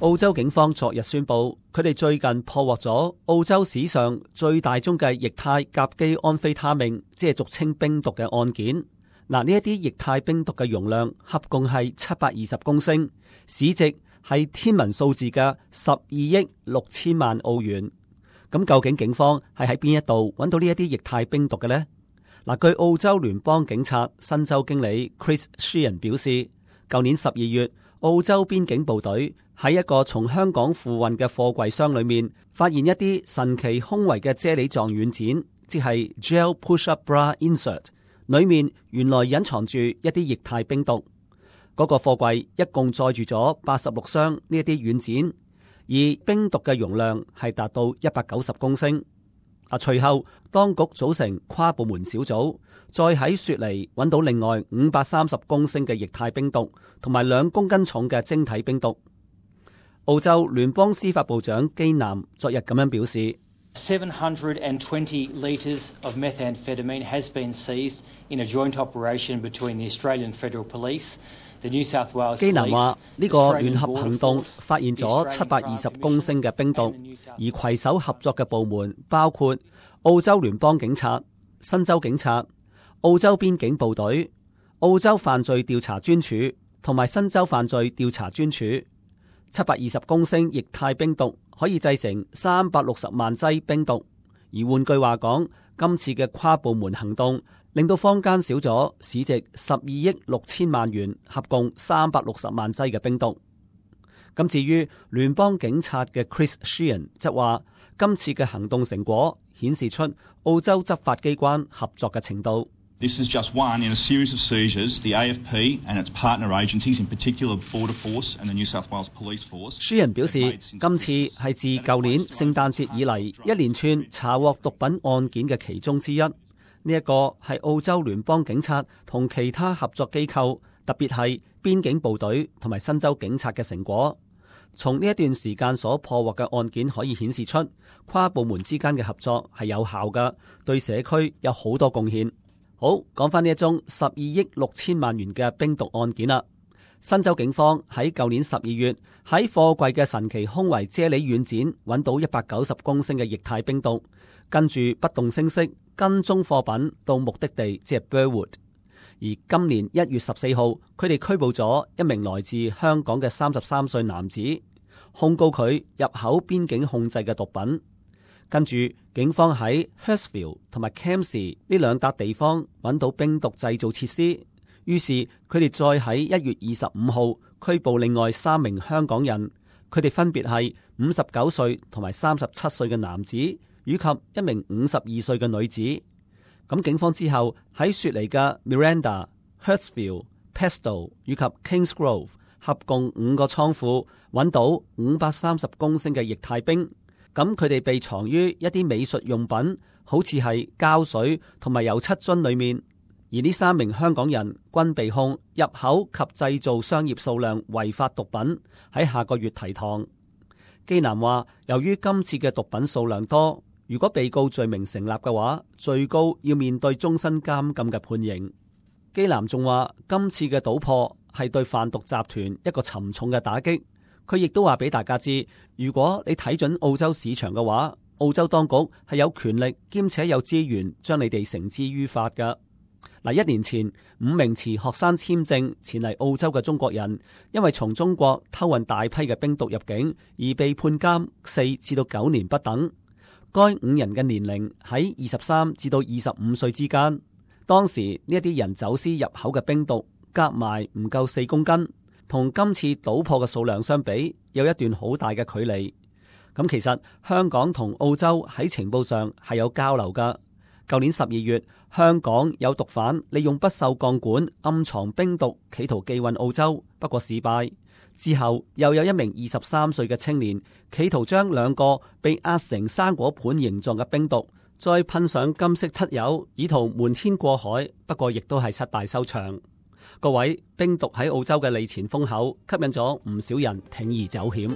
澳洲警方昨日宣布，佢哋最近破獲咗澳洲史上最大宗嘅液態甲基安非他命，即係俗稱冰毒嘅案件。嗱，呢一啲液態冰毒嘅容量合共係720公升，市值係天文數字嘅12億6千萬澳元。咁究竟警方係喺邊一度揾到呢一啲液態冰毒嘅呢？嗱，據澳洲聯邦警察新州經理 Chris Sheehan 表示，舊年12月，澳洲邊境部隊喺一個從香港附運嘅貨櫃箱裏面，發現一啲神奇胸圍嘅啫喱狀軟件，即係 Gel Push-Up Bra Insert， 裏面原來隱藏住一啲液態冰毒。嗰個貨櫃一共載住咗86箱呢一啲軟件，而冰毒嘅容量係達到190公升。隨後當局組成跨部門小組，再喺雪梨揾到另外530公升嘅液態冰毒，同埋2公斤重嘅晶體冰毒。澳洲聯邦司法部長基南昨日咁樣表示，720 litres of methamphetamine has been seized in a joint operation between the Australian Federal Police, the New South Wales Police。基南話呢個聯合行動發現咗720公升嘅冰毒，而攜手合作嘅部門包括澳洲聯邦警察、新州警察、澳洲邊境部隊、澳洲犯罪調查專署同埋新州犯罪調查專署。720公升液態冰毒可以製成360萬劑冰毒，而換句話講，今次嘅跨部門行動令到坊間少咗市值12億6千萬元，合共360萬劑嘅冰毒。咁至於聯邦警察嘅 Chris Sheehan 則話，今次嘅行動成果顯示出澳洲執法機關合作嘅程度。This is just one in a series of seizures. The AFP and its partner agencies, in particular Border Force and the New South Wales Police Force。Sheehan 表示，今次係自舊年聖誕節以嚟一連串查獲毒品案件嘅其中之一。呢一個係澳洲聯邦警察同其他合作機構，特別係邊境部隊同埋新州警察嘅成果。從呢一段時間所破獲嘅案件可以顯示出，跨部門之間嘅合作係有效嘅，對社區有好多貢獻。好，講翻呢一宗12億6千萬元嘅冰毒案件啦。新州警方喺舊年12月喺貨櫃嘅神奇胸圍啫喱軟件揾到190公升嘅液態冰毒，跟住不動聲色跟蹤貨品到目的地，即係 Burwood。而今年1月14號，佢哋拘捕咗一名來自香港嘅33歲男子，控告佢入口邊境控制嘅毒品。跟住，警方喺 Hurstville 同埋 Campsie 呢2笪地方揾到冰毒製造設施，於是佢哋再喺1月25號拘捕另外3名香港人，佢哋分別係59歲同埋37歲嘅男子，以及一名52歲嘅女子。咁警方之後喺雪梨嘅 Miranda、Hurstville、Pesto 以及 Kingsgrove 合共5個倉庫揾到530公升嘅液態冰。咁佢哋被藏於一啲美術用品，好似係膠水同埋油漆樽裏面。而呢3名香港人均被控入口及製造商業數量違法毒品，喺下個月提堂。基南話，由於今次嘅毒品數量多，如果被告罪名成立嘅話，最高要面對終身監禁嘅判刑。基南仲話，今次嘅搗破係對販毒集團一個沉重嘅打擊。佢亦都話俾大家知，如果你睇準澳洲市場嘅話，澳洲當局係有權力兼且有資源將你哋繩之於法㗎。1年前5名持學生簽證前嚟澳洲嘅中國人，因為從中國偷運大批嘅冰毒入境而被判監4至到9年不等。該5人嘅年齡喺23至到25歲之間。當時呢一啲人走私入口嘅冰毒夾埋唔夠4公斤。同今次搗破嘅數量相比，有一段好大嘅距離。咁其實香港同澳洲喺情報上係有交流㗎。舊年12月，香港有毒販利用不鏽鋼管暗藏冰毒，企圖寄運澳洲，不過事敗。之後又有一名23歲嘅青年，企圖將2個被壓成生果盤形狀嘅冰毒，再噴上金色漆油，以圖瞞天過海，不過亦都係失敗收場。各位，冰毒喺澳洲嘅利錢豐厚，吸引咗唔少人鋌而走險。